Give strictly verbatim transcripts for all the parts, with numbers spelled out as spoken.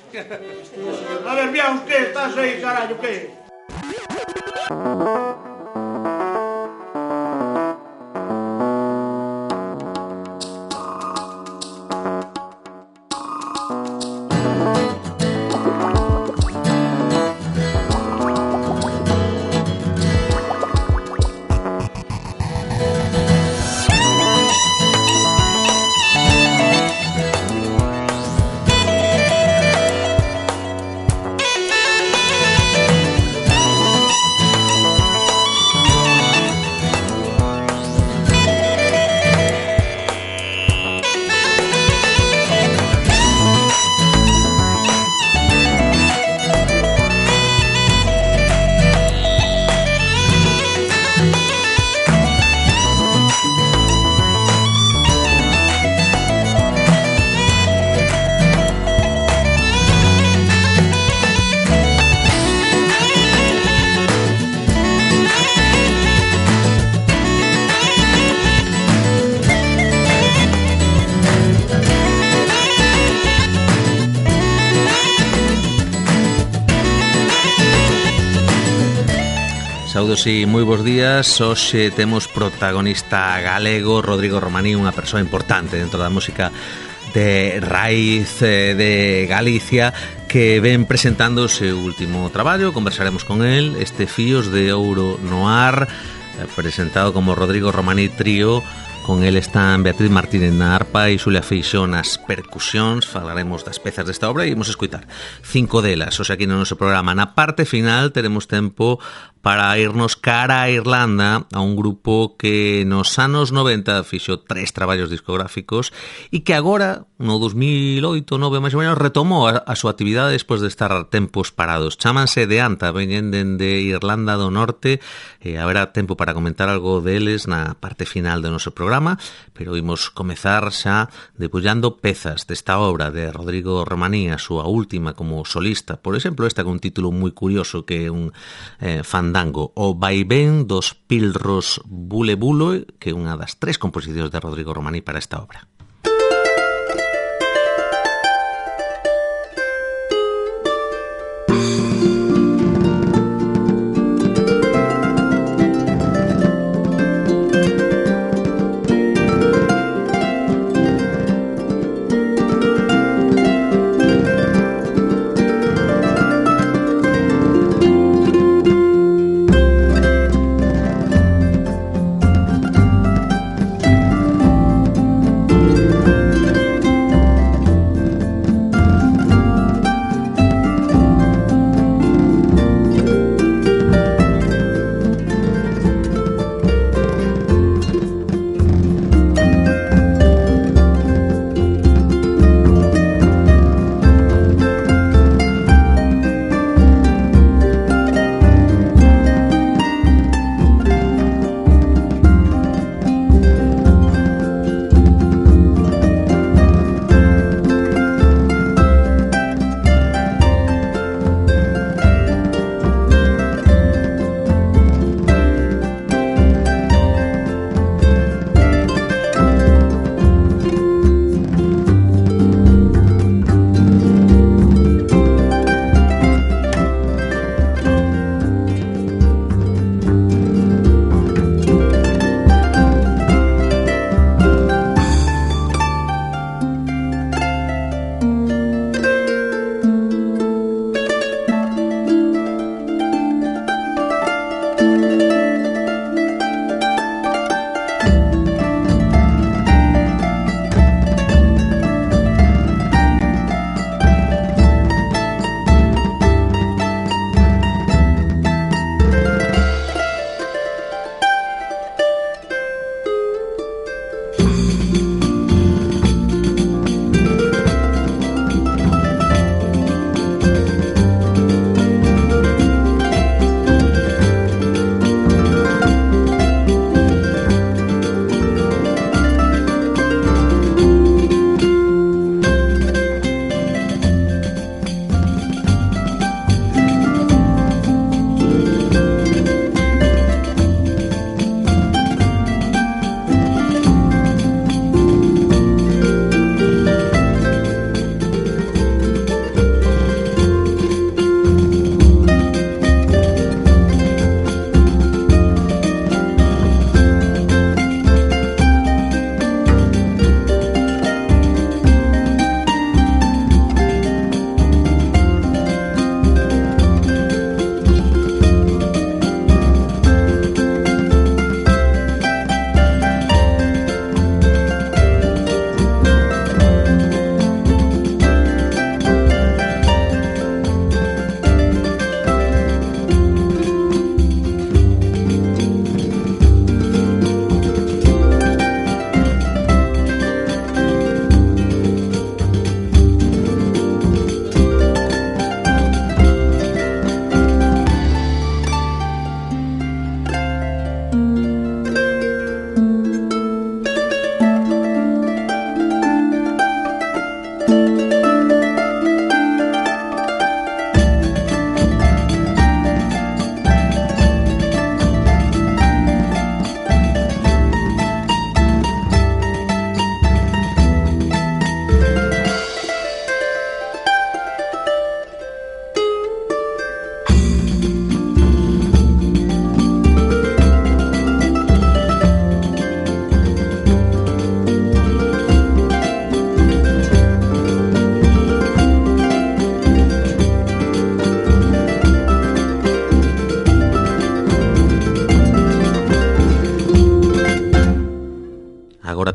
A ver, Biaus, que estás aí, carallo, que? Saudos e moi bons días. Hoxe temos protagonista galego Rodrigo Romaní, unha persoa importante dentro da música de raíz de Galicia, que ven presentando o seu último traballo. Conversaremos con el, este Fíos de Ouro no Ar, presentado como Rodrigo Romaní Trío. Con el están Beatriz Martínez na arpa e Xulia Feixó nas percusións. Falaremos das pezas desta obra e imos escoitar cinco delas. Oxe, aquí no noso programa. Na parte final teremos tempo para irnos cara a Irlanda, a un grupo que nos anos noventa fixo tres traballos discográficos e que agora, no dos mil oito, nove máis ou menos, retomou a, a súa actividade despois de estar tempos parados. Chámanse De Anta, veñen dende Irlanda do Norte, e haberá tempo para comentar algo deles na parte final do noso programa, pero imos comezar xa debullando pezas desta obra de Rodrigo Romaní, a súa última como solista. Por exemplo, esta con un título moi curioso que é un eh, fandango, o vaivén dos pilros bule bulo, que é unha das tres composicións de Rodrigo Romaní para esta obra. Thank you.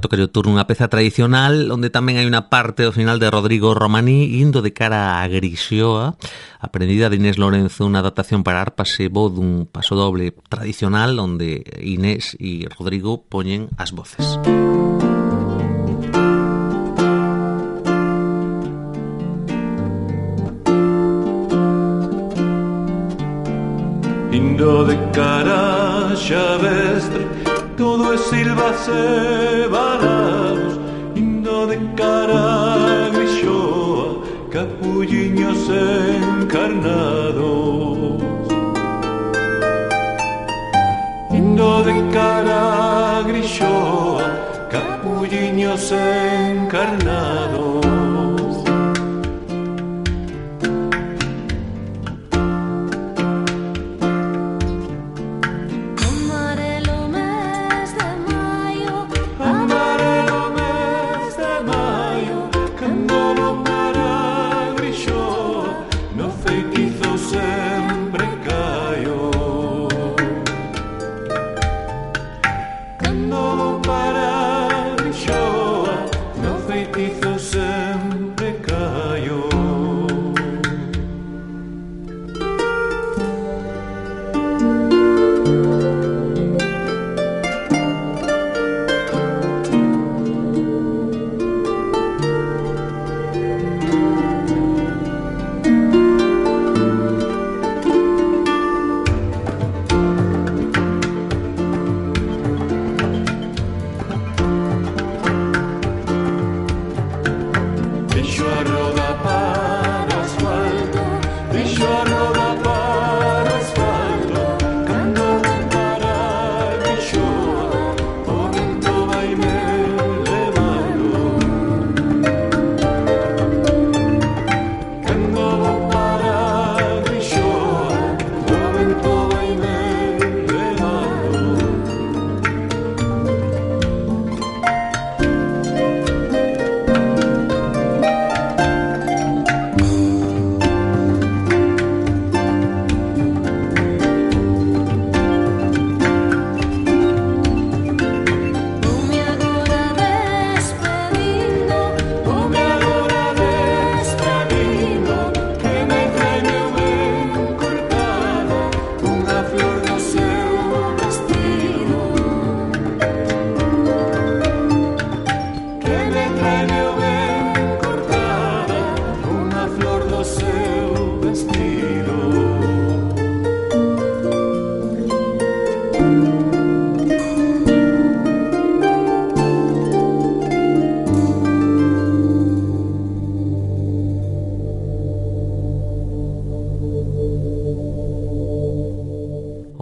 toca o turno unha peza tradicional onde tamén hai unha parte ao final de Rodrigo Romaní indo de cara a Grixoa, aprendida de Inés Lorenzo, unha adaptación para arpas e voz dun paso doble tradicional onde Inés e Rodrigo poñen as voces. Indo de cara xavestre, todo é silvas e balados. Indo de cara Grixoa, capulliños encarnados. Indo de cara Grixoa, capulliños encarnados.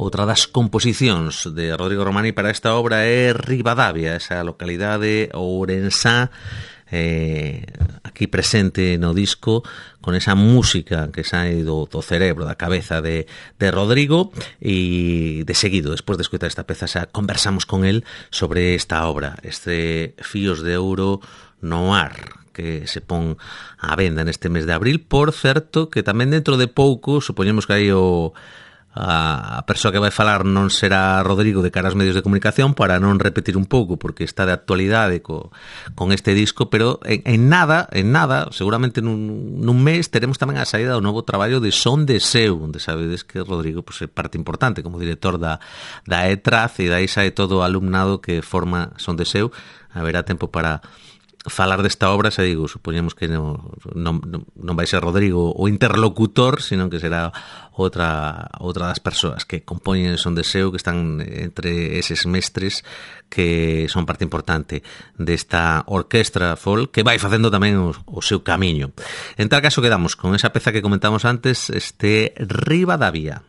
Outra das composicións de Rodrigo Romaní para esta obra é Ribadavia, esa localidade ourensá, eh, aquí presente no disco, con esa música que sae do, do cerebro, da cabeza de, de Rodrigo, e de seguido, despois de escutar esta peza, xa conversamos con él sobre esta obra, este Fíos de Ouro no Ar, que se pon á venda neste mes de abril. Por certo, que tamén dentro de pouco, supoñemos que aí o a persoa que vai falar non será Rodrigo de cara aos medios de comunicación, para non repetir un pouco, porque está de actualidade co, con este disco, pero en, en nada, en nada, seguramente nun, nun mes teremos tamén a saída do novo traballo de Son de Seu, onde sabedes que Rodrigo pues, é parte importante como director da, da E T R A Z, e dai sae todo o alumnado que forma Son de Seu. Haberá tempo para falar desta obra, xa digo, supoñemos que non, non, non vai ser Rodrigo o interlocutor, sino que será outra outra das persoas que compoñen Son de Seu, que están entre eses mestres que son parte importante desta orquestra folk que vai facendo tamén o, o seu camiño. En tal caso quedamos con esa peza que comentamos antes, este Ribadavia.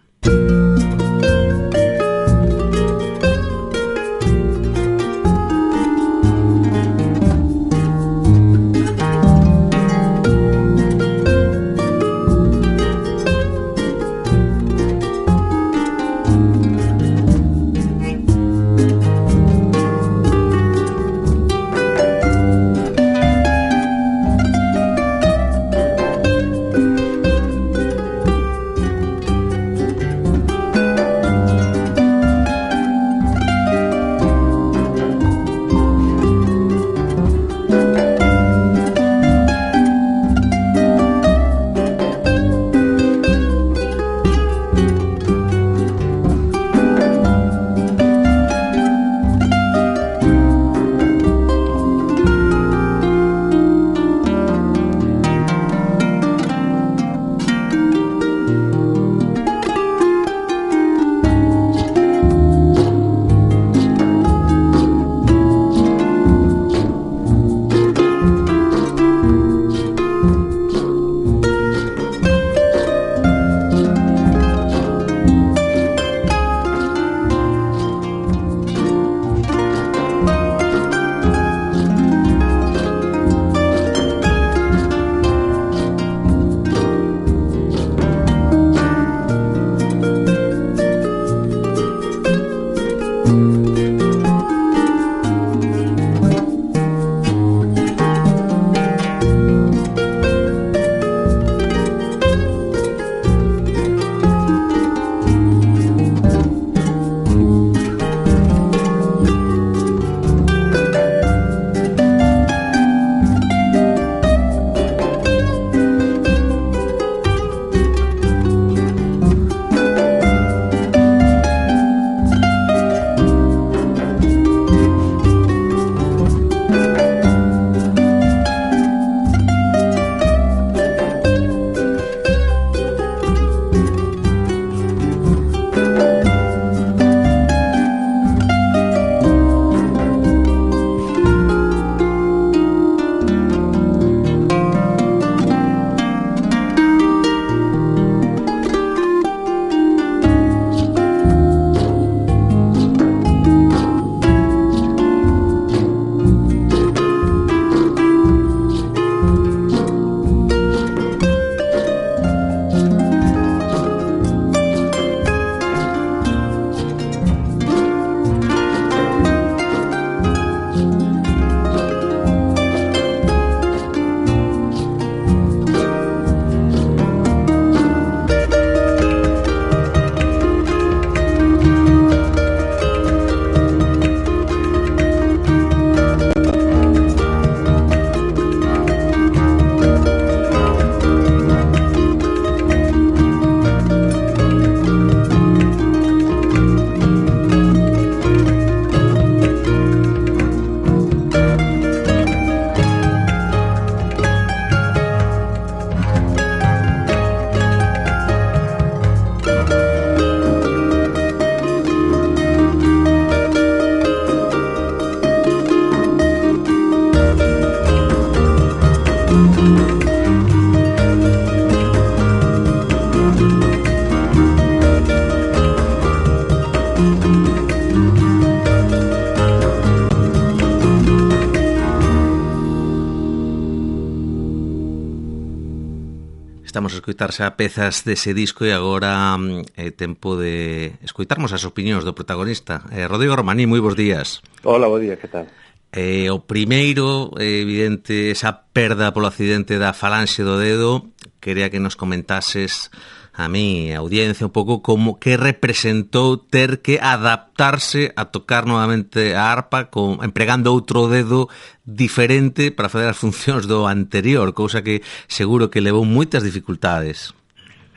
Estamos a escoitar xa pezas dese disco e agora é eh, tempo de escoitarmos as opinións do protagonista. Eh, Rodrigo Romaní, moi bons días. Hola, bo día, que tal? Eh, o primeiro, é evidente, esa perda polo accidente da falanxe do dedo. Quería que nos comentases a mí, a audiencia, un pouco como que representou ter que adaptarse a tocar novamente a arpa con, empregando outro dedo diferente para fazer as funcións do anterior, cousa que seguro que levou moitas dificultades.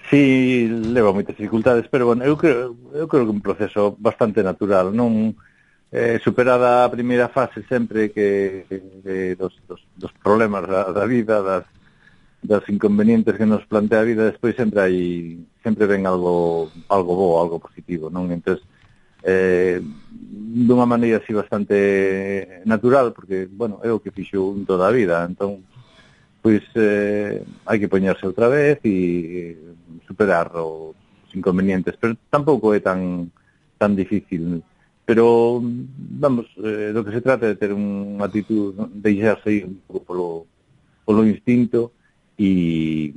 Sí, leva moitas dificultades, pero bueno, eu creo, eu creo que é un proceso bastante natural, non eh, superada a primeira fase sempre que, que dos, dos, dos problemas da, da vida, das das inconvenientes que nos plantea a vida, despois sempre hai sempre ven algo algo bo, algo positivo, non? Entonces, eh, dunha maneira así bastante natural, porque, bueno, é o que fixo un toda a vida, entón, pois, eh, hai que poñerse outra vez e superar os inconvenientes, pero tampouco é tan tan difícil, pero, vamos, eh, do que se trata é de ter unha actitud, non? Deixarse ir un pouco polo, polo instinto, e,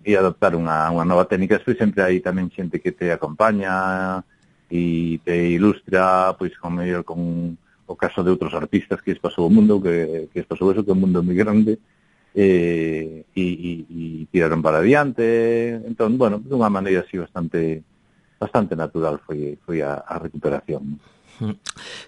e adoptar unha, unha nova técnica. Despois sempre hai tamén xente que te acompaña e te ilustra, pois con mellor con o caso de outros artistas que es pasou o mundo, que, que es pasou eso, que é un mundo moi grande, e, e, e, e tiraron para adiante. Entón, bueno, de unha maneira así bastante bastante natural foi, foi a, a recuperación.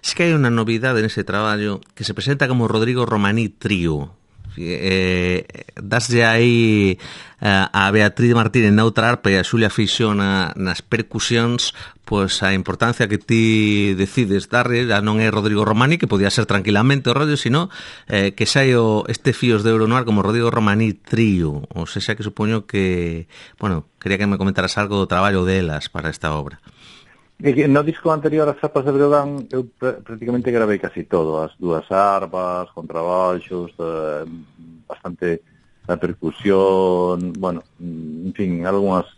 Es que hai unha novidade nese traballo que se presenta como Rodrigo Romaní Trío. Eh, daslle aí uh, a Beatriz Martínez na outra arpa e a Xulia Feixó na, nas percusións, pois a importancia que ti decides darlle ya non é Rodrigo Romaní, que podía ser tranquilamente o rollo, sino eh, que sai o, este Fíos de Euronoir como Rodrigo Romaní Trío. Ou seja, que supoño que, bueno, quería que me comentaras algo do traballo delas para esta obra. No disco anterior as arpas de Breogán eu prácticamente gravei casi todo, as dúas arpas, contrabaixos, eh, bastante a percusión, bueno, en fin, algunhas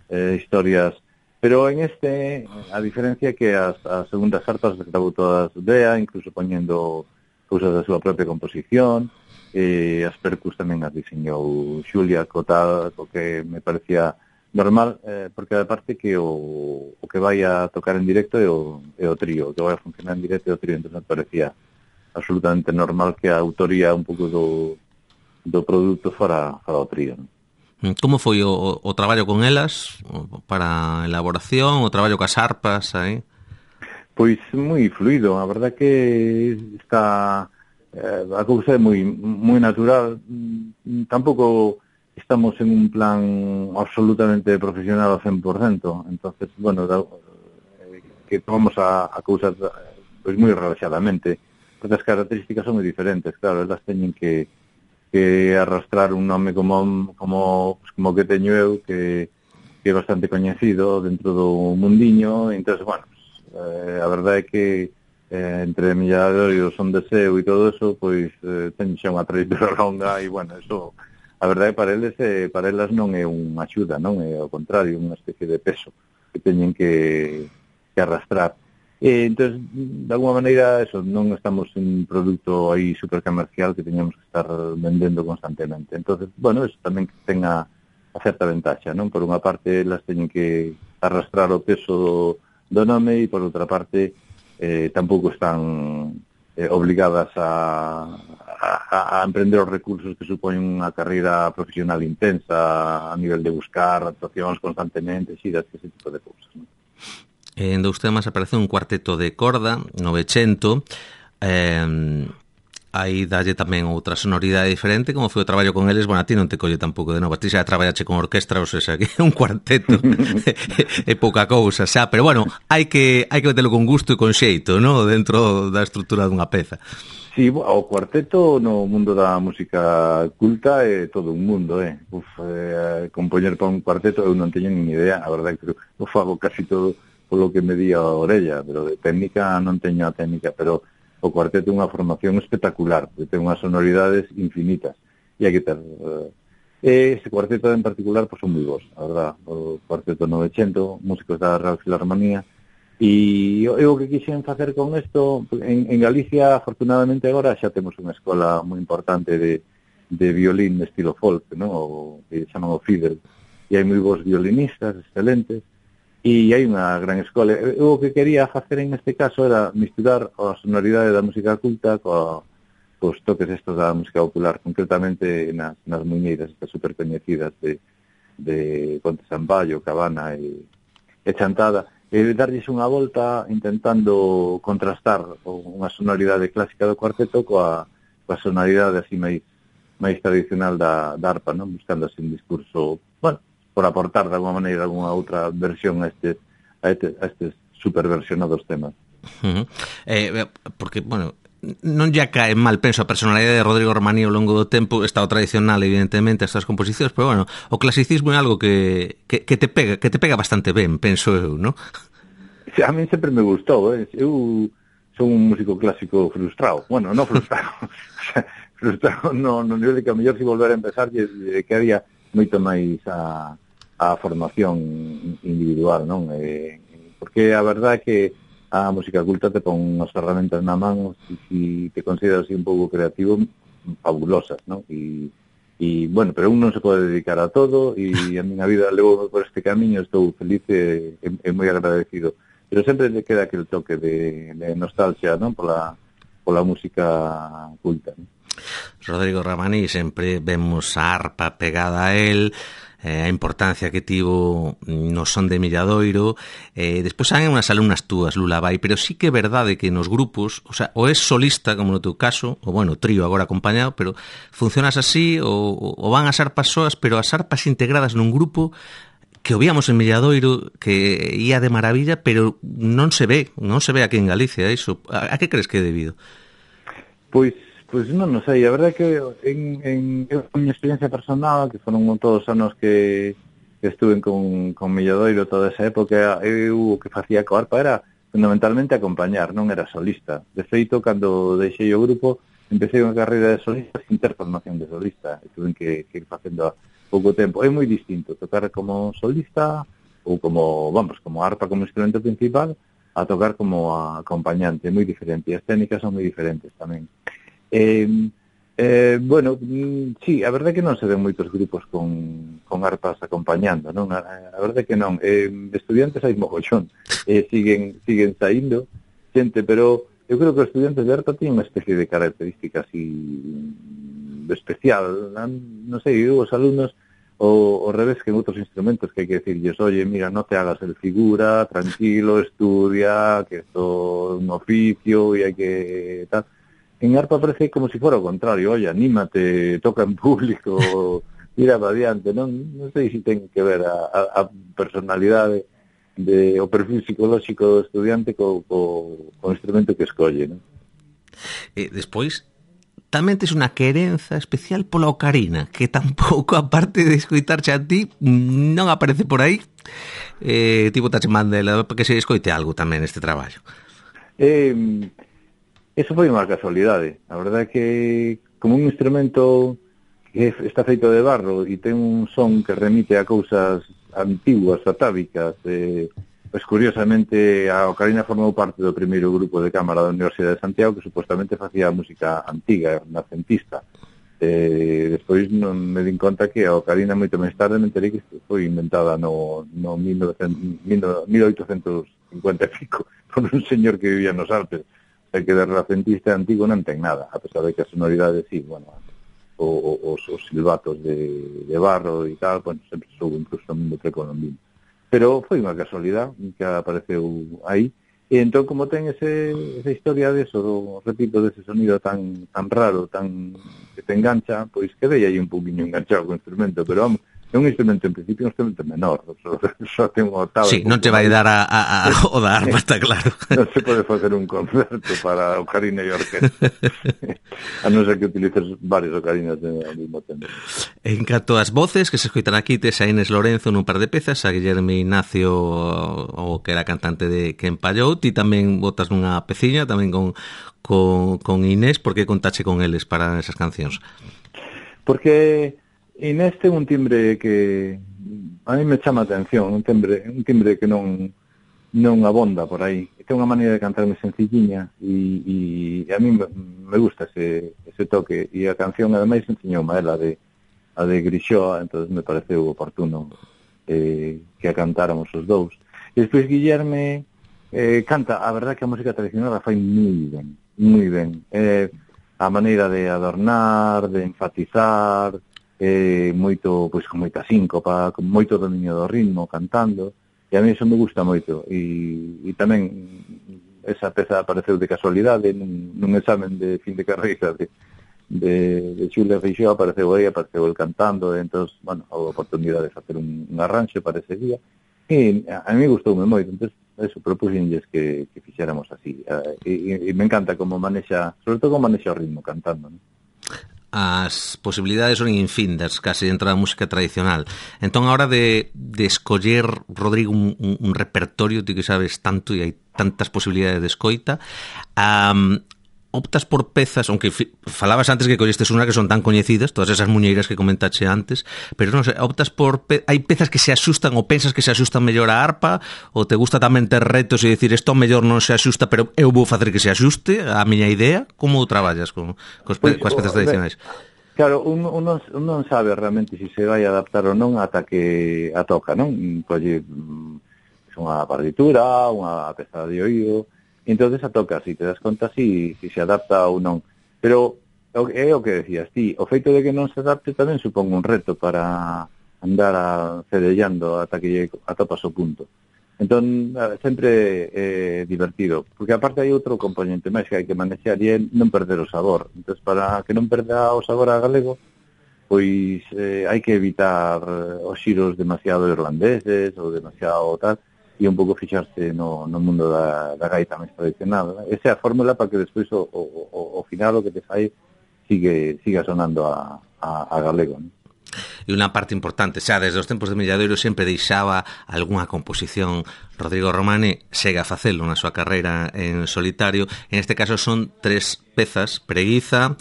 eh, historias, pero en este, a diferencia que as, as segundas arpas as gravou todas Bea, incluso poñendo cousas da súa propia composición, e as percus tamén as diseñou Xulia, co tal, co que me parecía normal, eh, porque aparte que o, o que vai a tocar en directo é o, é o trío, o que vai a funcionar en directo é o trío, entón me parecía absolutamente normal que a autoría un pouco do, do produto fora, fora o trío, non? Como foi o, o traballo con elas para a elaboración, o traballo cas arpas aí? Pois moi fluido, a verdad que está eh, a cousa é moi moi natural, tampouco estamos en un plan absolutamente profesional ao cen por cento, entonces, bueno, da, eh, que tomamos a, a cousas pois moi relaxadamente, porque as características son moi diferentes, claro, elas teñen que, que arrastrar un nome como como, pues, como que teño eu, que, que é bastante coñecido dentro do mundiño, entonces, bueno, pues, eh, a verdade é que eh, entre Millador e o Son de Seu e todo eso, pois eh, teño xa unha trayectoria longa e, bueno, eso a verdade para eles eh, para elas non é unha axuda, non é ao contrario, unha especie de peso que teñen que, que arrastrar. E, entón, de alguma maneira, eso, non estamos en un produto aí supercomercial que teñamos que estar vendendo constantemente. Entón, bueno, eso tamén ten a, a certa ventaxa, non? Por unha parte, elas teñen que arrastrar o peso do, do nome e, por outra parte, eh, tampouco están eh, obligadas a A, a emprender os recursos que supoñen unha carreira profesional intensa a nivel de buscar actuacións constantemente, xiras, ese tipo de cousas, non? En dous temas aparece un cuarteto de corda, novecento, eh, aí dalle tamén outra sonoridade diferente, como foi o traballo con eles. Bueno, a ti non te colle tampouco de novo, a ti xa traballache con orquestra, ou seja, que é un cuarteto é pouca cousa, xa, pero bueno, hai que hai que metelo con gusto e con xeito, ¿no? Dentro da estrutura dunha peza. Sí, o cuarteto no mundo da música culta é todo un mundo, eh. Uf, eh, compoñer para un cuarteto eu non teño nin idea, a verdade que eu fago casi todo polo que me di a orella, pero de técnica non teño a técnica, pero o cuarteto é unha formación espectacular, porque ten unhas sonoridades infinitas, e hai que ter... Uh, ese cuarteto en particular, pois, son moi bons, a verdad, o cuarteto novecento, músicos da Real Filarmonía, e eu, eu o que quixen facer con isto, en, en Galicia, afortunadamente agora, xa temos unha escola moi importante de, de violín estilo folk, ¿no? O que chaman o fiddle. E hai moi bons violinistas, excelentes, e hai unha gran escola. Eu o que quería facer en este caso era misturar a sonoridade da música culta coa, cos toques estos da música popular, concretamente nas, nas muñeiras estas super coñecidas de, de Conte Samballo, Cabana e, e Chantada, e darlles unha volta intentando contrastar unha sonoridade clásica do cuarteto coa, coa sonoridade así máis máis tradicional da, da arpa, non? Buscando así un discurso, bueno, por aportar de alguma maneira alguna outra versión a estes, a estes, a estes superversionados temas. Uh-huh. Eh, porque, bueno, non ya cae mal, penso, a personalidade de Rodrigo Romaní ao longo do tempo, está o tradicional, evidentemente, estas composicións, pero, bueno, o clasicismo é algo que, que, que te pega que te pega bastante ben, penso eu, non? Sí, a mí sempre me gustou, eh? Eu son un músico clásico frustrado, bueno, non frustrado, frustrado no, no nivel de que a mellor si volver a empezar que había moito máis a, a formación individual, non? Eh, porque a verdade é que a música culta te pon unhas ferramentas na man e si te consideras así un pouco creativo, fabulosas, non? E, e bueno, pero un non se pode dedicar a todo e a miña vida levou por este camiño, estou feliz e, e, e moi agradecido. Pero sempre te queda aquel toque de, de nostalgia, non? Pola, pola música culta, non? Rodrigo Romaní, sempre vemos a arpa pegada a él, eh, a importancia que tivo no son de Milladoiro, eh, despois hai unhas alumnas túas, Lula Vai, pero sí que é verdade que nos grupos, o sea, o es solista, como no teu caso, ou bueno, trío agora acompañado, pero funcionas así, ou, ou van as arpas soas, pero as arpas integradas nun grupo que o víamos en Milladoiro, que ia de maravilla, pero non se ve, non se ve aquí en Galicia, iso. A, a que crees que é debido? Pois Pois non, non sei, a verdade é que en, en, en minha experiencia personal, que foron todos os anos que, que estuve con, con Milladoiro toda esa época, eu o que facía coa arpa era fundamentalmente acompañar, non era solista. De feito, cando deixei o grupo, empecé unha carreira de solista sin ter formación de solista, e tuve que, que ir facendo a pouco tempo. É moi distinto tocar como solista ou como, vamos, como arpa como instrumento principal a tocar como acompañante, é moi diferente, e as técnicas son moi diferentes tamén. Eh, eh, bueno, sí, a verdade é que non se ven moitos grupos con, con arpas acompañando, non? A, a verdade é que non. Eh, estudiantes hai mogollón, eh, siguen siguen saindo xente, pero eu creo que os estudiantes de arpa tienen unha especie de característica así especial, non, non sei, eu, os alumnos o, o revés que en outros instrumentos que hai que decirles, oye, mira, no te hagas el figura, tranquilo, estudia, que esto é un oficio e hai que tal. En arpa parece como si fuera o contrario, oye, anímate, toca en público, tira para adiante, non, non sei se ten que ver a, a, a personalidade de, o perfil psicolóxico do estudiante co, co, co instrumento que escolle, non? E despois, tamén tes unha querenza especial pola ocarina, que tampouco, aparte de escoitarche a ti, non aparece por aí, eh, tipo tache mandela, para que se escoite algo tamén este traballo. Eh... Eso foi unha casualidade. A verdade é que como un instrumento que está feito de barro e ten un son que remite a cousas antiguas, atávicas, eh, pois curiosamente a ocarina formou parte do primeiro grupo de cámara da Universidade de Santiago que supostamente facía música antiga, renacentista. Eh, despois non me din conta que a ocarina moito máis tarde me enterei que foi inventada no, no mil oitocentos cincuenta e pico por un señor que vivía nos Alpes. É que de renacentista antigo non ten nada, a pesar de que a sonoridade, sí, bueno, o, o, os, os silbatos de, de barro e tal, bueno, sempre sou incluso no mundo precolombino. Pero foi unha casualidade que apareceu aí, e entón como ten ese, esa historia de eso, repito, dese sonido tan tan raro, tan que te engancha, pois quedei aí un poquinho enganchado co instrumento, pero vamos, é un instrumento, en principio, un instrumento menor, só, só ten un octavo. Sí, non te vai dar a, a, a, o da arpa, está claro. Non se pode facer un concerto para ocarina e orquesta, a non ser que utilices varias ocarinas ao mesmo tempo. En canto ás voces, que se escoitan aquí, tes a Inés Lorenzo nun par de pezas, a Guillermo Ignacio, o que era cantante de Quen Pallou, ti tamén botas nunha peciña, tamén con, con, con Inés, por que contache con eles para esas cancións? Porque Inés ten un timbre que a mí me chama a atención, un timbre, un timbre que non non abonda por aí. Ten unha maneira de cantar moi sencilliña e, e a mí me, me gusta ese, ese toque, e a canción ademais enseñou a ela de, a de Grixoa, entonces me pareceu oportuno eh, que a cantáramos os dous. E despois Guillerme eh, canta, a verdad que a música tradicional a fai moi ben, moi ben. Eh, a maneira de adornar, de enfatizar, eh, moito, pois con moita síncopa, con moito dominio do ritmo, cantando, e a mí eso me gusta moito. E, e tamén esa peza apareceu de casualidade nun, nun examen de fin de carreira de, de, de Xulia Feixóo, apareceu aí, apareceu el cantando, e entón, bueno, a oportunidade de facer un, un arranxo para ese día, e a mí gustoume moito, entón, eso, propúxenlles que, que fixéramos así, e, e me encanta como manexa, sobre todo como manexa o ritmo cantando, non? As posibilidades son infindas casi dentro da música tradicional. Entón, a hora de, de escoller, Rodrigo, un, un, un repertorio, ti que sabes tanto e hai tantas posibilidades de escoita, um, optas por pezas, aunque fi, falabas antes que collestes unha que son tan coñecidas, todas esas muñeiras que comentache antes, pero non sei, optas por pe- hai pezas que se axustan ou pensas que se axustan mellor á arpa, ou te gusta tamén ter retos e dicir isto mellor non se axusta, pero eu vou facer que se axuste a miña idea? Como traballas con, con pe- pues, coas pezas tradicionais? Claro, un, un, non, un non sabe realmente se se vai adaptar ou non ata que a toca, non? Colle unha partitura, unha peza de oído, entonces a toca, si te das conta si, si se adapta ou non. Pero é o que decías ti, o feito de que non se adapte tamén supón un reto para andar a cedellando ata que atopas o punto. Entón, sempre é divertido, porque aparte hai outro componente máis que hai que manexar e é non perder o sabor. Entón, para que non perda o sabor a galego, pois eh, hai que evitar os xiros demasiado irlandeses ou demasiado tal, e un pouco fixarse no, no mundo da, da gaita máis tradicional. Esa é a fórmula para que despois o, o, o final o que te fai sigue, siga sonando a, a, a galego, non? E unha parte importante, xa desde os tempos de Milladoiro sempre deixaba algunha composición. Rodrigo Romani segue a facelo na súa carreira en solitario. En este caso son tres pezas: Preguiza,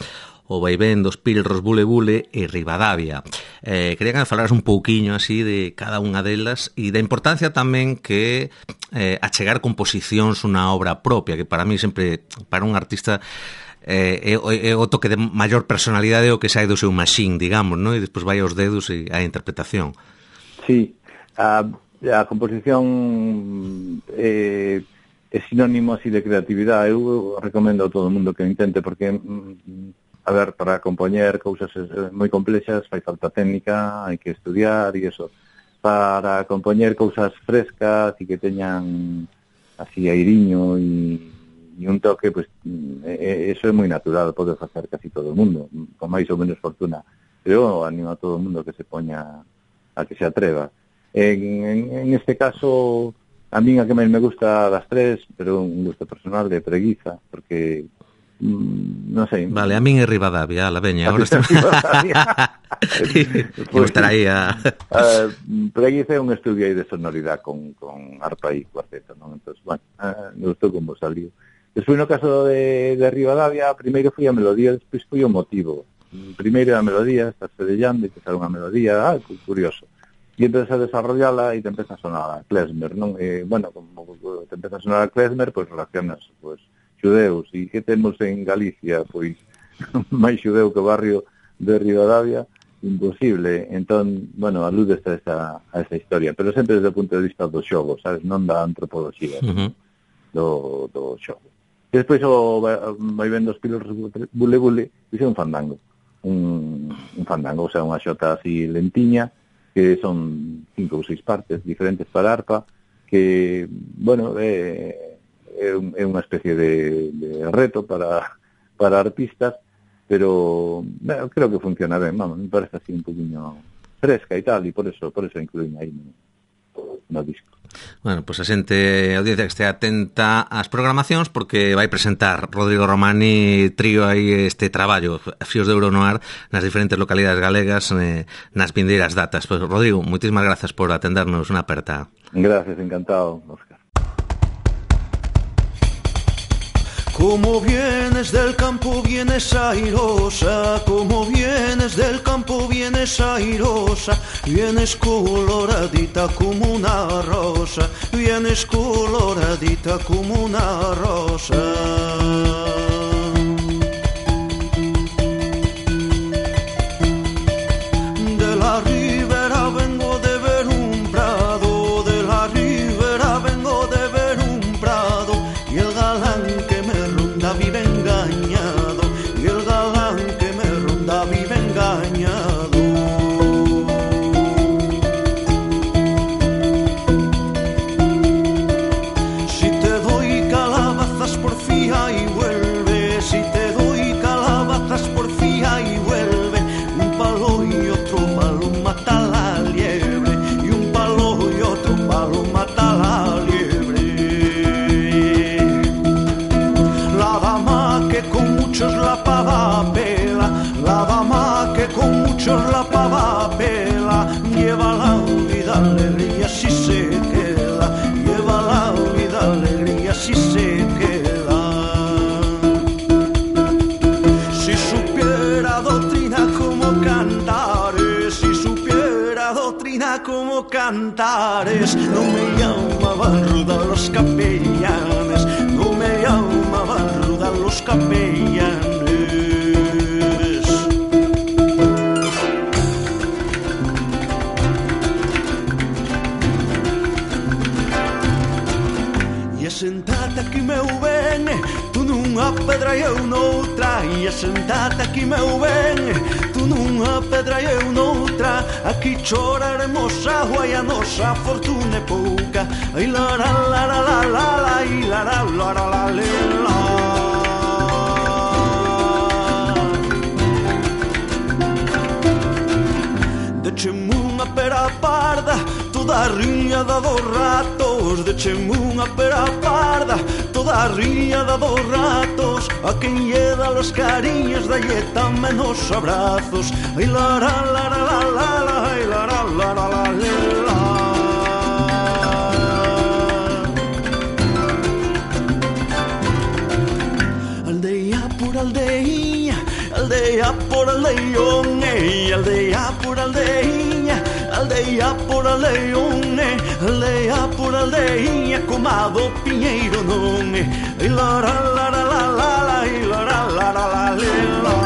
O vaivén dos Pilros Bule Bule e Ribadavia. Eh, quería que me falaras un pouquiño así de cada unha delas e da importancia tamén que eh, achegar composicións unha obra propia, que para mí sempre, para un artista, eh, é, é o toque de maior personalidade o que sai do seu machín, digamos, ¿no? E despois vai aos dedos e a interpretación. Sí, a, a composición eh, é sinónimo así de creatividade. Eu recomendo a todo o mundo que o intente, porque a ver, para compoñer cousas moi complexas fai falta técnica, hai que estudiar e eso. Para compoñer cousas frescas e que teñan así airiño e, e un toque, pues, eh, eso é moi natural, pode facer casi todo o mundo, con máis ou menos fortuna. Pero eu animo a todo o mundo que se poña, a que se atreva. En, en, en este caso, a mí a que máis me gusta das tres, pero un gusto personal, de Preguiza, porque non sei. Vale, a min é Ribadavia, la veña. Agora estou... Vamos estar aí a... uh, Preguiza é un estudio aí de sonoridade con, con arpa e cuarteto, non? Entón, bueno, uh, me gustou como saliu. Despois, no caso de, de Ribadavia, primeiro foi a melodía, despois foi o motivo. Primeiro a melodía, estás cedellando e te sale unha melodía, ah, curioso. E empezas a desarrollala e te empeza a sonar a klezmer, non? E, bueno, como te empeza a sonar a klezmer, pois relacionas, pois, xudeus, e que temos en Galicia, pois, máis xudeu que o barrio de Ribadavia, imposible. Entón, bueno, alude a esa, a esa historia, pero sempre desde o punto de vista do xogo, sabes, non da antropoloxía, uh-huh. do, do xogo. E despois o vai vendo os Pilros Bule Bule, dice un fandango, un, un fandango, o sea, unha xota así lentiña, que son cinco ou seis partes diferentes para arpa, que, bueno, é... é unha especie de, de reto para, para artistas, pero bueno, creo que funciona ben, vamos, me parece así un poquinho fresca e tal, e por eso por eso incluín aí no, no disco. Bueno, pois pues a xente, a audiencia que este atenta ás programacións, porque vai presentar Rodrigo Romani trío aí este traballo, Fíos de Ouro no Ar, nas diferentes localidades galegas, eh, nas vindeiras datas. Pois, pues, Rodrigo, moitísimas grazas por atendernos unha aperta. Gracias, encantado, Óscar. Como vienes del campo vienes airosa, como vienes del campo vienes airosa, vienes coloradita como una rosa, vienes coloradita como una rosa. De la ribera vengo de ver un prado, de la ribera vengo de ver un prado, y el galán que me ronda vive engañado, y el galán que me ronda vive engañado. Si te doy calabazas porfía y vuelve, si te doy calabazas porfía y vuelve, un palo y otro palo mata la liebre, y un palo y otro palo mata la liebre. La dama que con muchos la pava pela, la dama que con muchos la pava pela, lleva la vida alegría si se queda, lleva la vida alegría si se queda. Si supiera doctrina como cantares, si supiera doctrina como cantares, no me llamaban ruda los capellanes, no me llamaban ruda los capellanes. E sentate aquí meu ben, tú nunha pedra e eu noutra, e sentate aquí meu ben, tú nunha pedra e eu noutra, aquí choraremos agua e a nosa fortuna é pouca. Ai la la la la la la la, ai la la la la la la. Decheme unha pera parda, toda a riñada dos ratos, decheme unha pera parda, toda a riñada dos ratos, a quen lle dá los cariños dalle tamén os abrazos. Ai la la la la la la la, ai la la la la la la. Aldea por aldeiña, aldea por aldeón, eh, aldea por aldeiña, aldea por aldeón, eh, aldea por aldeiña, comado piñeiro non, eh, ai la la la la la la la, ai la la la la la la.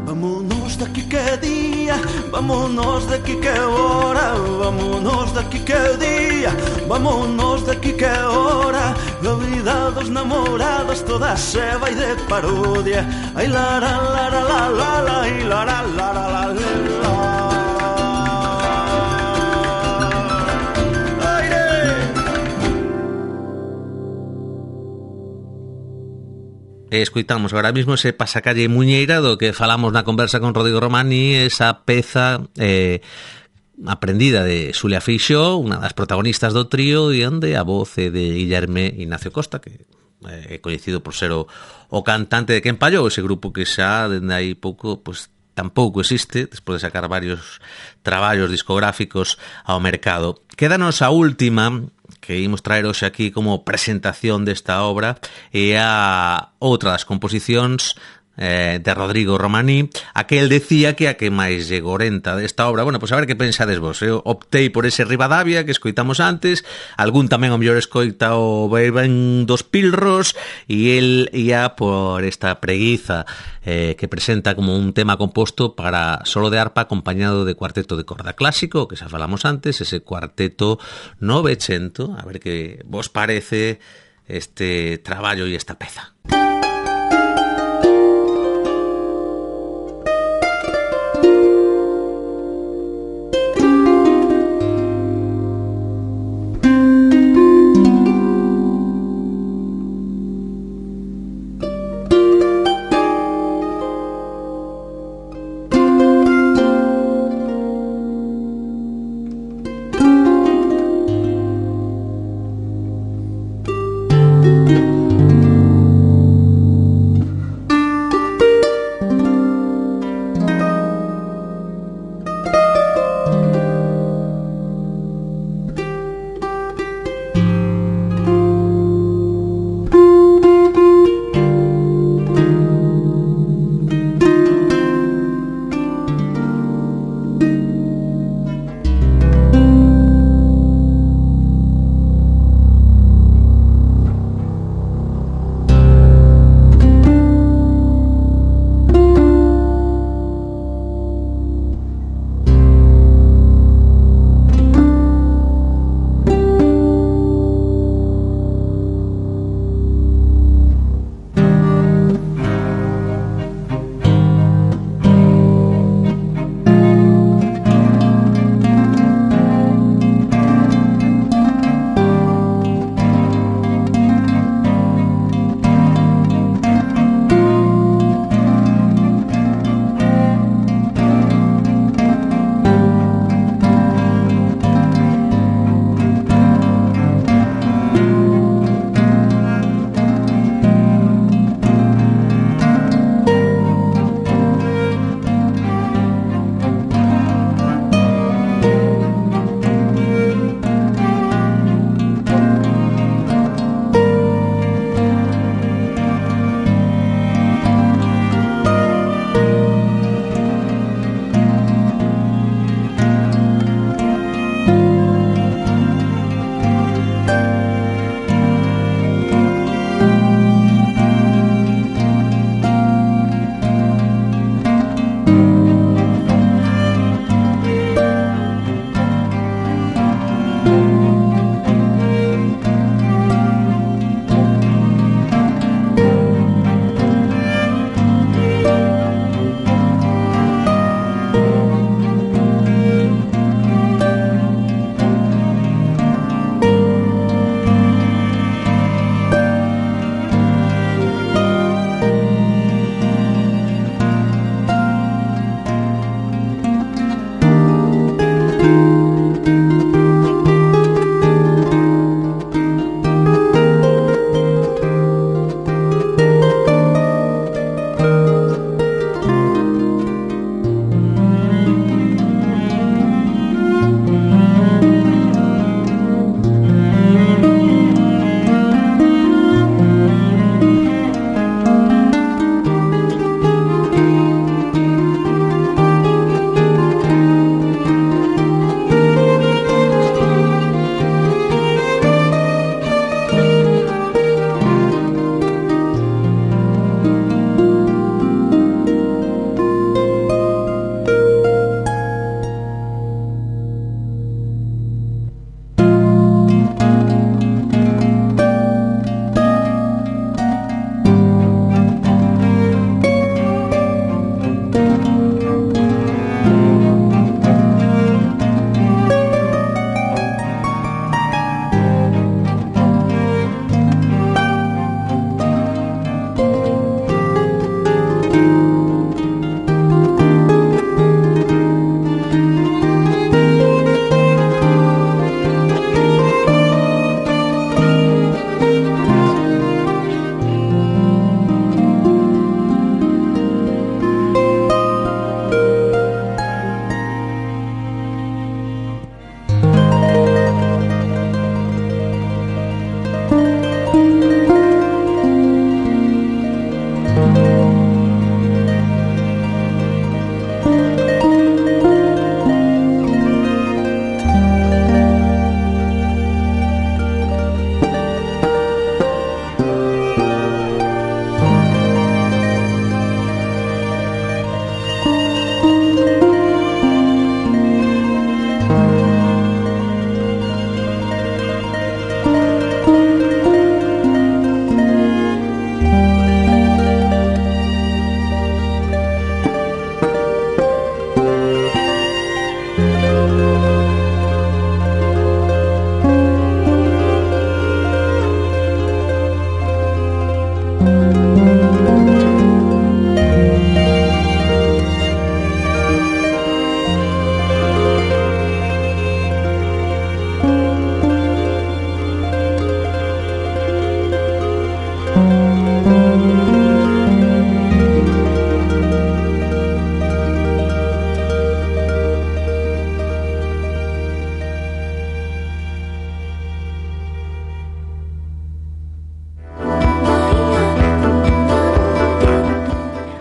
Vámonos daqui que día, vámonos daqui que hora, vámonos daqui que día, vámonos daqui que hora, a vida dos namorados toda se vai de parodia. Ai la la la la la la la, ai la la la la la la. Escoitamos agora mismo ese pasacalle muñeira do que falamos na conversa con Rodrigo Romani, esa peza eh, aprendida de Xulia Feixóo, unha das protagonistas do trío, e onde a voz é de Guillerme Ignacio Costa, que é coñecido por ser o, o cantante de Quen Pallou, ese grupo que xa dende aí pouco pues, tampouco existe, despois de sacar varios traballos discográficos ao mercado. Quédanos a última que imos traer hoxe aquí como presentación desta obra, e a outra das composicións eh, de Rodrigo Romani, a que el decía que a que máis lle gorenta desta obra. Bueno, pois a ver que pensades vos. Eu optei por ese Rivadavia que escoitamos antes, algún tamén o mellor escoita o Beiben dos Pilros, e el ia por esta preguiza eh, que presenta como un tema composto para solo de arpa acompañado de cuarteto de corda clásico, que xa falamos antes, ese cuarteto novecento. A ver que vos parece este traballo e esta peza.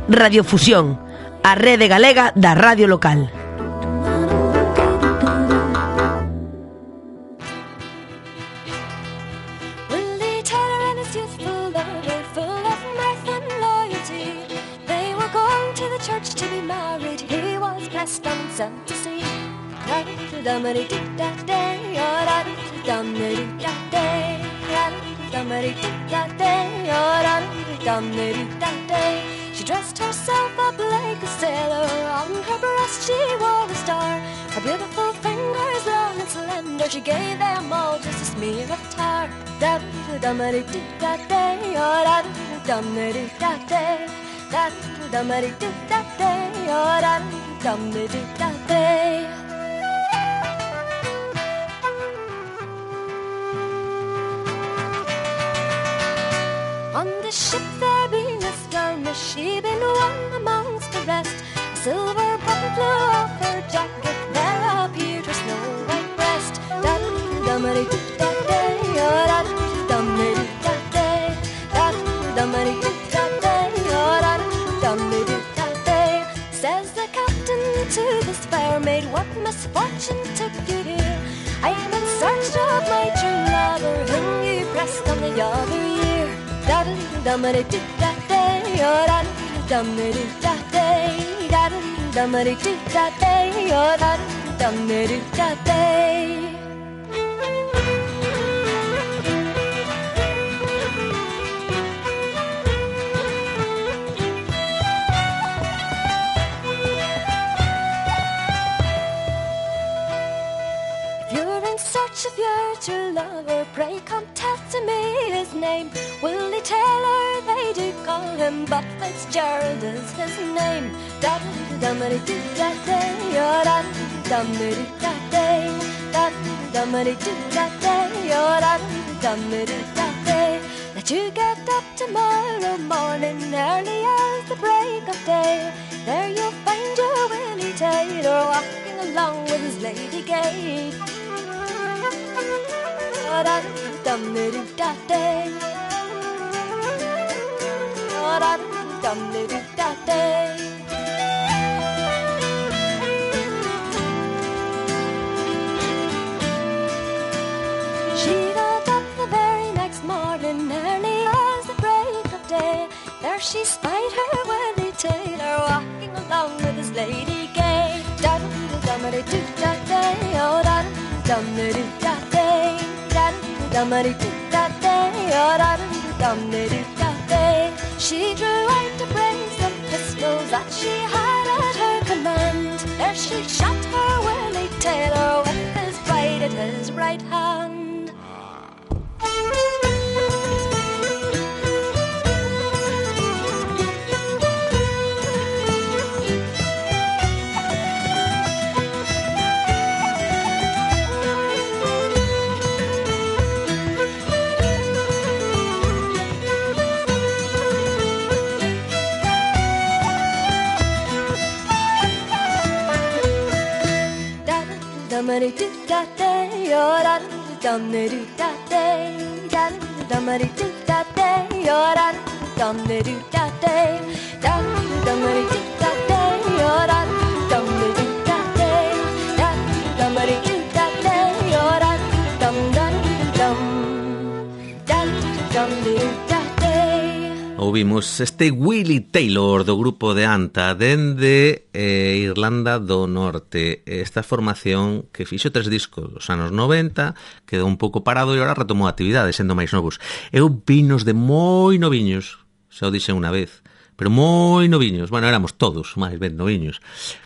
Radiofusión, a rede galega da radio local. She dressed herself up like a sailor. On her breast she wore a star. Her beautiful fingers long and slender, she gave them all just a smear of tar. Da da da da da da da da da da da on the ship there being a skirmish, she been one amongst the rest. A silver button flew off her jacket, there appeared her snow white breast. Da da da da da da da. Says the captain to this fair maid, what misfortune took you here? I am in search of my true lover, whom you pressed on the other year. Da da da da da da da da da da da da da. If you're true lover, pray come tell to me his name. Willie Taylor they do call him, but Fitzgerald is his name. Da da da da da da da da da da da da. Let you get up tomorrow morning, early as the break of day. There you'll find your Willie Taylor walking along with his lady gay. Da da da da da da da da da. She got up the very next morning, early as the break of day. There she spied her Willie Taylor walking along with his lady gay. Da da da da da da da da da da. She drew out a brace of pistols that she had at her command. There she shot her Willie Taylor with his right at his right hand. Ouvimos este Willie Taylor do grupo de Anta dende eh, Irlanda do Norte. Esta formación que fixo tres discos dos anos noventa, quedou un pouco parado e agora retomou a actividade sendo máis novos. Eu vinos de moi noviños, xa o dixen unha vez, pero moi noviños, bueno, éramos todos máis ben noviños,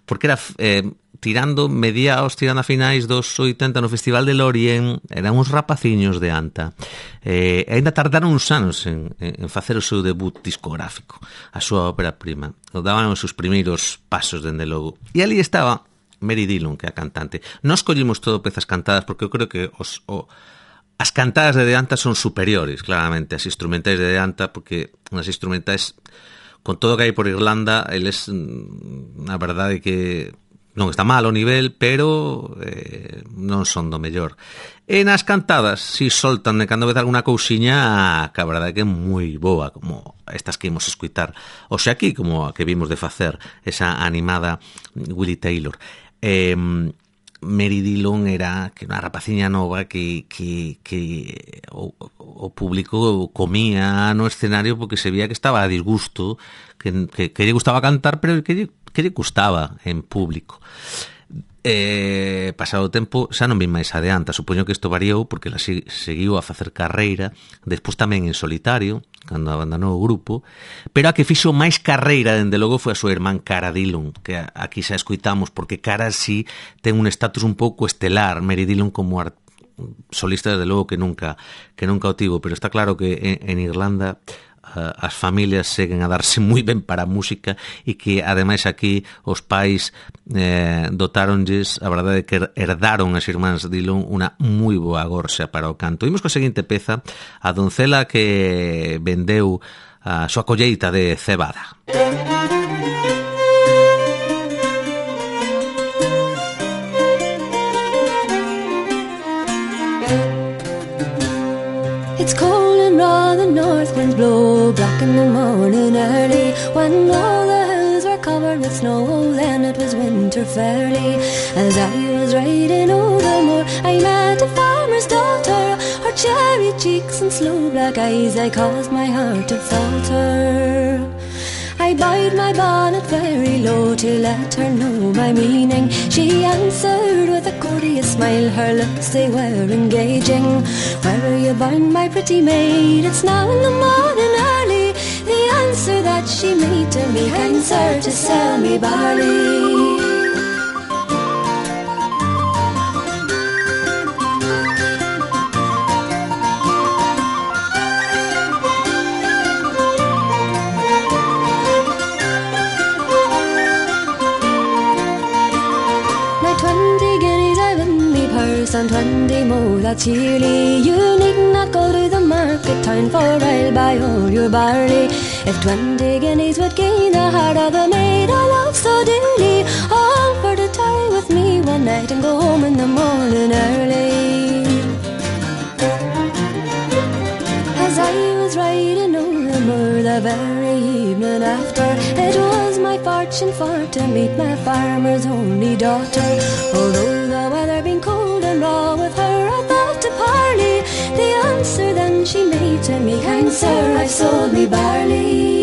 porque era eh, tirando mediados, tirando a finais dos oitenta no Festival de Lorien, eran uns rapaciños de Anta. Eh, ainda tardaron uns anos en, en facer o seu debut discográfico, a súa ópera prima. Daban os seus primeiros pasos, dende logo. E ali estaba Mary Dillon, que é a cantante. Nós collimos todo pezas cantadas, porque eu creo que os, o, as cantadas de De Anta son superiores, claramente, as instrumentais de De Anta, porque as instrumentais, con todo o que hai por Irlanda, eles, na verdade, que non está mal o nivel, pero eh, non son do mellor. E nas cantadas, si soltan de cando vez alguna cousiña que a verdade que é moi boa, como estas que imos escutar hoxe aquí, como a que vimos de facer esa animada Willie Taylor. Eh, Mary Dillon era que unha rapaciña nova que, que, que o, o público comía no escenario porque se veía que estaba a disgusto, que, que, que lle gustaba cantar, pero que lle, que lle gustaba en público. Eh, pasado o tempo xa non vi máis adianta, supoño que isto variou porque ela seguiu a facer carreira despois tamén en solitario cando abandonou o grupo, pero a que fixo máis carreira dende logo foi a súa irmán Cara Dillon, que aquí xa escoitamos porque Cara sí ten un estatus un pouco estelar, Mary Dillon como art- solista desde logo que nunca que nunca o tivo, pero está claro que en, en Irlanda as familias seguen a darse moi ben para a música e que ademais aquí os pais eh, dotáronlles, a verdade é que herdaron as irmáns Dillon unha moi boa gorxa para o canto. Imos coa seguinte peza, a doncela que vendeu a súa colleita de cebada. It's cold and raw, the north winds blow black in the morning early. When all the hills were covered with snow, then it was winter fairly. As I was riding over the moor, I met a farmer's daughter. Her cherry cheeks and slow black eyes, I caused my heart to falter. I bowed my bonnet very low to let her know my meaning. She answered with a courteous smile, her looks they were engaging. Where are you bound, my pretty maid? It's now in the morning early. The answer that she made to me, kind sir, to sell me barley. And twenty more, that's yearly. You need not go to the market town, for I'll buy all your barley. If twenty guineas would gain the heart of the maid I love so dearly, all for to tarry with me one night and go home in the morning early. As I was riding over the moor the very evening after, it was my fortune for to meet my farmer's only daughter. Although the weather been cold and raw, with her I thought to parley. The answer then she made to me, kind sir, I've sold me barley.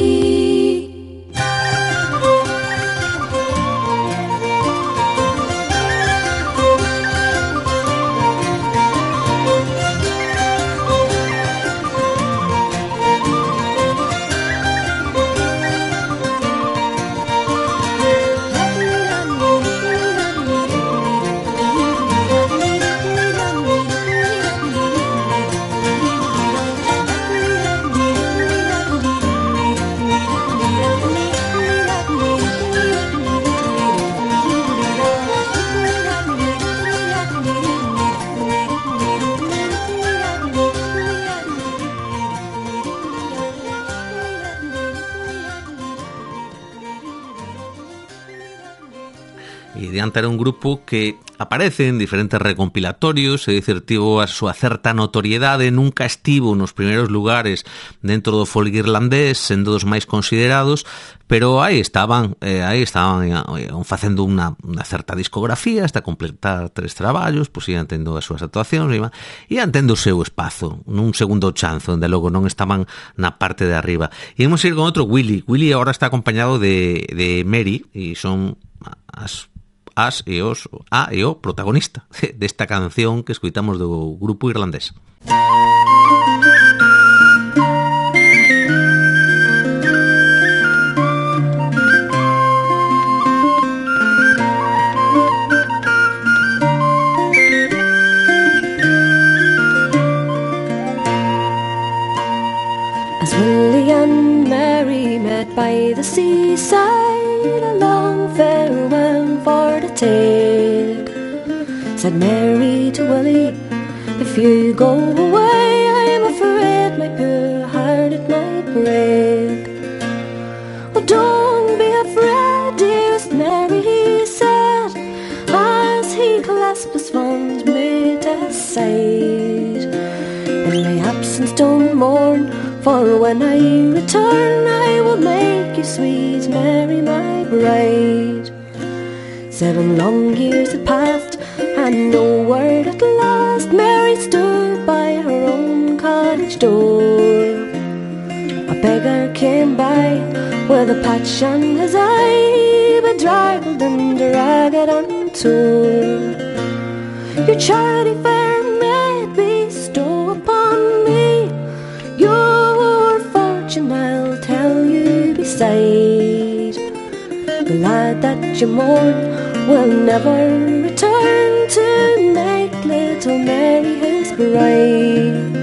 Era un grupo que aparece en diferentes recompilatorios, é dicir, tivo a súa certa notoriedade, nunca estivo nos primeiros lugares dentro do folk irlandés, sendo dos máis considerados, pero aí estaban, eh, aí estaban eh, facendo unha, unha certa discografía hasta completar tres traballos, pois ian tendo as súas actuacións, iban, ian tendo o seu espazo, nun segundo chanzo, onde logo non estaban na parte de arriba. E imos ir con outro, Willie. Willie agora está acompañado de, de Mary, e son as as e os a e o protagonista desta canción que escoitamos do grupo irlandés. As Willie and Mary met by the seaside, a long farewell for to take, said Mary to Willie, if you go away, I'm afraid my poor heart it might break. Oh, don't be afraid, dearest Mary, he said, don't mourn, for when I return I will make you sweet Mary my bride. Seven long years had passed and no word at last. Mary stood by her own cottage door. A beggar came by with a patch on his eye, bedraggled and ragged and torn. Your charity fair maid bestow upon me, your fortune I'll tell you beside. The lad that you mourn will never return to make little Mary his bride.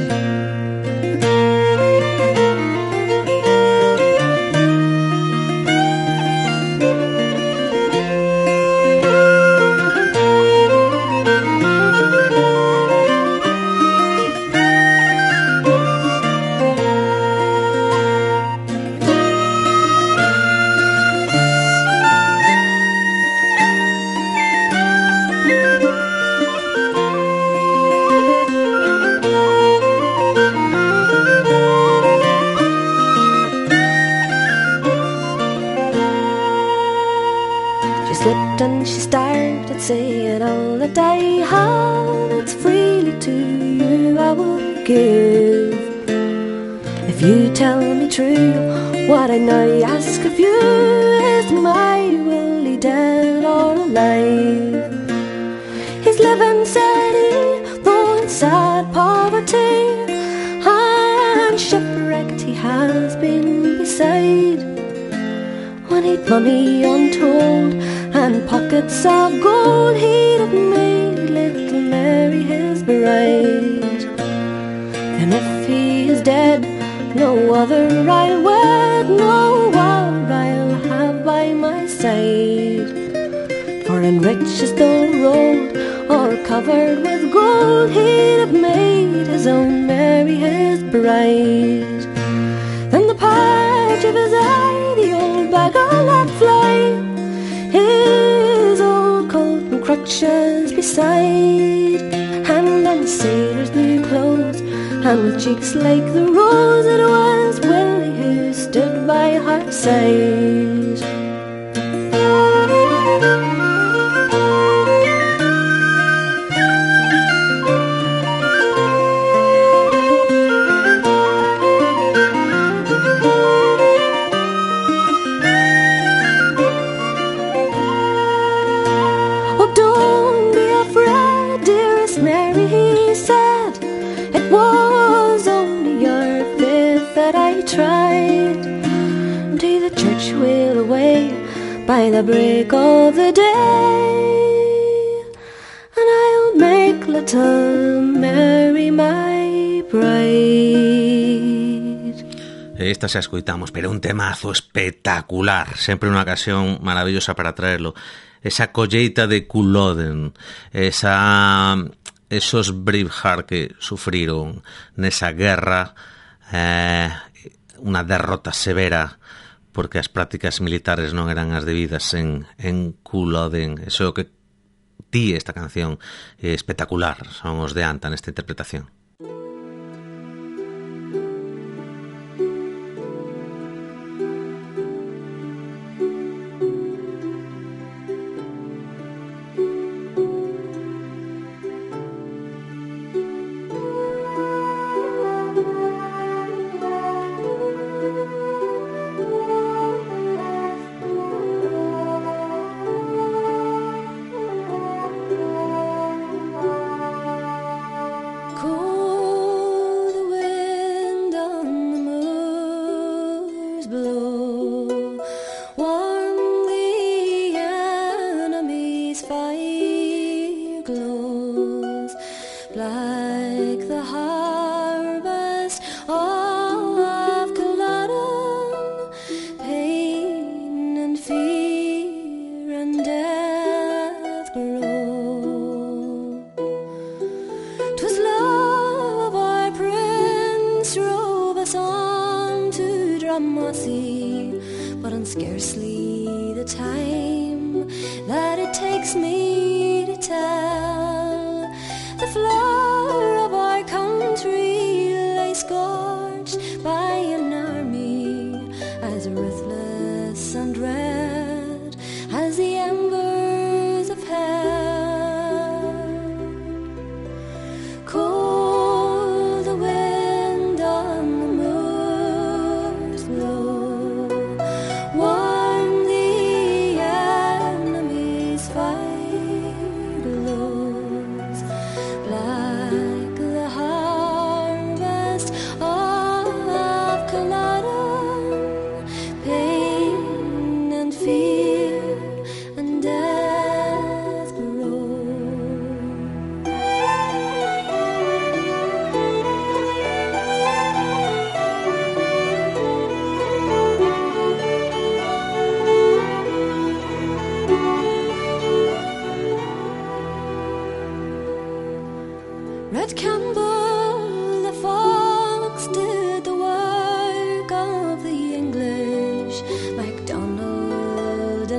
And she started saying, all that I have, it's freely to you I will give. If you tell me true, what I now ask of you is my will he dead or alive. He's living, said he, though in sad poverty, and shipwrecked he has been beside. When he'd money untold and pockets of gold, he'd have made little Mary his bride. And if he is dead, no other I'll wed, no other I'll have by my side. For in riches though rolled or covered with gold, he'd have made his own Mary his bride. Then the page of his eye, the old beggar let fly, his old coat and crutches beside, and then sailor's new clothes, and with cheeks like the rose, it was Willie who stood by her side. By the break of the day, and I'll make little Mary my bride. Esta xa escoitamos, pero un temazo espectacular, sempre unha ocasión maravillosa para traerlo. Esa colleita de Culloden, esa, esos Braveheart que sufriron nesa guerra, eh, unha derrota severa, porque as prácticas militares non eran as debidas en, en Culloden. Eso que ti esta canción é espectacular, son os de Anta nesta interpretación. Scarcely the time that it takes me to tell, the flower of our country lay scorched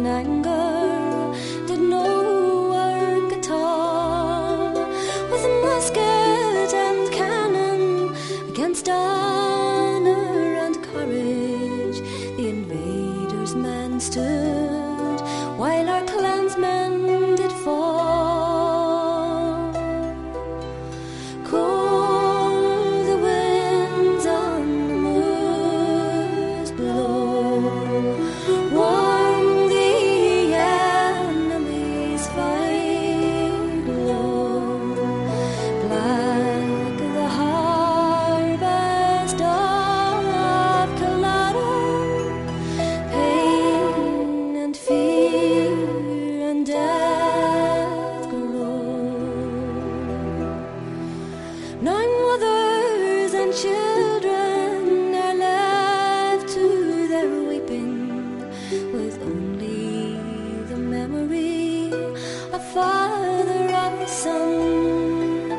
and anger did no work at all. With musket and cannon against honor and courage, the invaders' men stood, while our clansmen did fall. Cold the winds on the moors blow, warm the enemy's fight low, black the harvest of Killarney, pain and fear and death grow. Nine mothers and children are left to their weeping, with only the memory of father and son,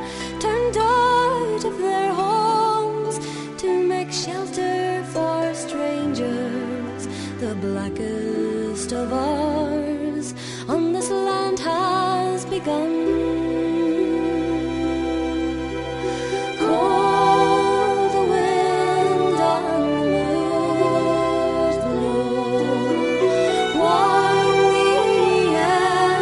turned out of their homes to make shelter for strangers. The blackest of ours on this land has begun. Cold the wind on the moors blow, warm the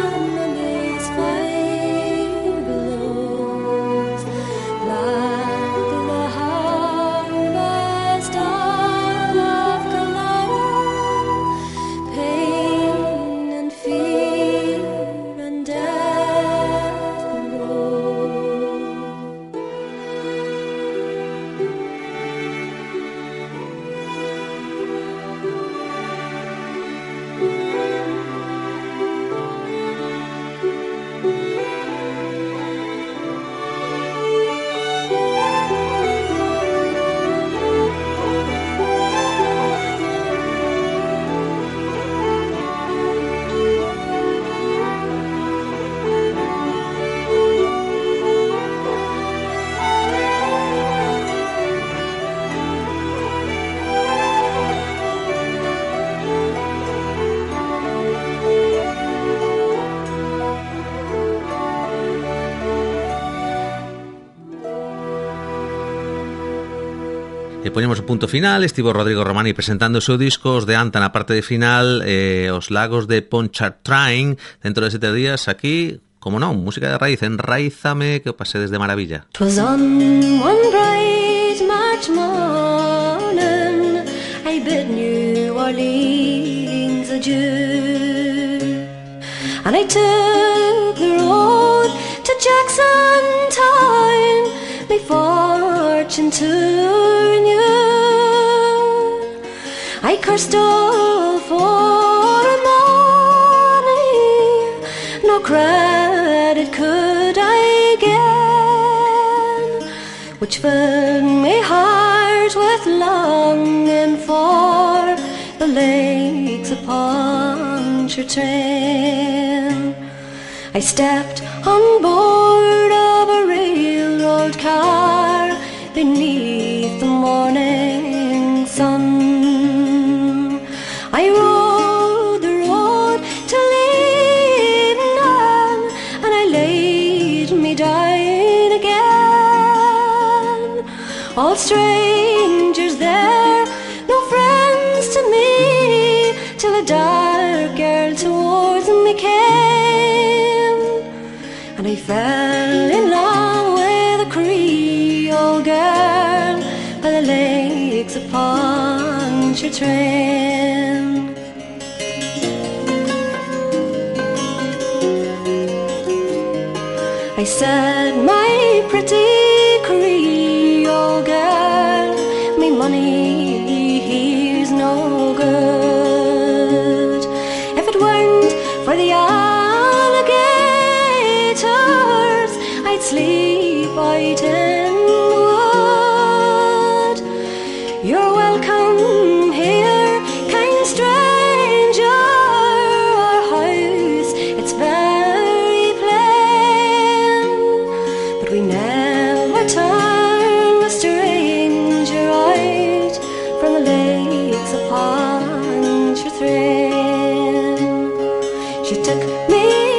enemy's fire glows, black the harvest of Killarney, pain and fear and death grow. E poñemos o punto final. Estivo Rodrigo Romani presentando o seu disco, os de Anta na parte de final, eh, os lagos de Pontchartrain dentro de sete días aquí, como non, música de raíz, enraízame, que o pasedes de maravilla. 'Twas on one bright March morning I bid New Orleans adieu, and I took the road to Jackson Town, my fortune to renew. I cursed all for money, no credit could I get, which filled my heart with longing for the lakes upon Pontchartrain. I stepped on board of a railroad car beneath the morning sun. I rode the road to Lebanon, and I laid me down again. All strangers there, no friends to me, till a dark girl towards me came, and I fell in love with a Creole girl by the lakes of Pontchartrain. I said, my pretty Creole girl, me money here's no good. If it weren't for the alligators, I'd sleep out in the wood. You're welcome here, kind stranger. Our house, it's very plain, but we never She took me